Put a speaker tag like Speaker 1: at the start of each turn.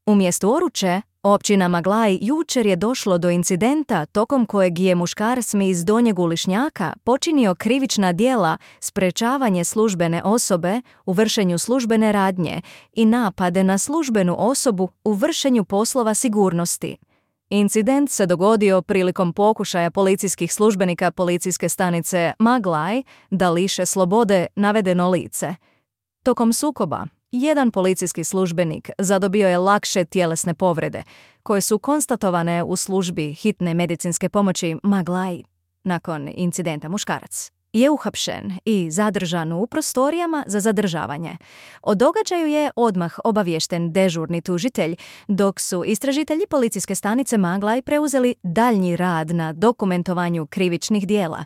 Speaker 1: U mjestu Oruče, općina Maglaj, jučer je došlo do incidenta tokom kojeg je muškarac iz Donjeg Ulišnjaka počinio krivična djela sprečavanje službene osobe u vršenju službene radnje i napade na službenu osobu u vršenju poslova sigurnosti. Incident se dogodio prilikom pokušaja policijskih službenika policijske stanice Maglaj da liše slobode navedeno lice. Tokom sukoba, jedan policijski službenik zadobio je lakše tjelesne povrede, koje su konstatovane u službi hitne medicinske pomoći Maglaj. Nakon incidenta muškarac je uhapšen i zadržan u prostorijama za zadržavanje. O događaju je odmah obaviješten dežurni tužitelj, dok su istražitelji policijske stanice Maglaj preuzeli daljnji rad na dokumentovanju krivičnih djela.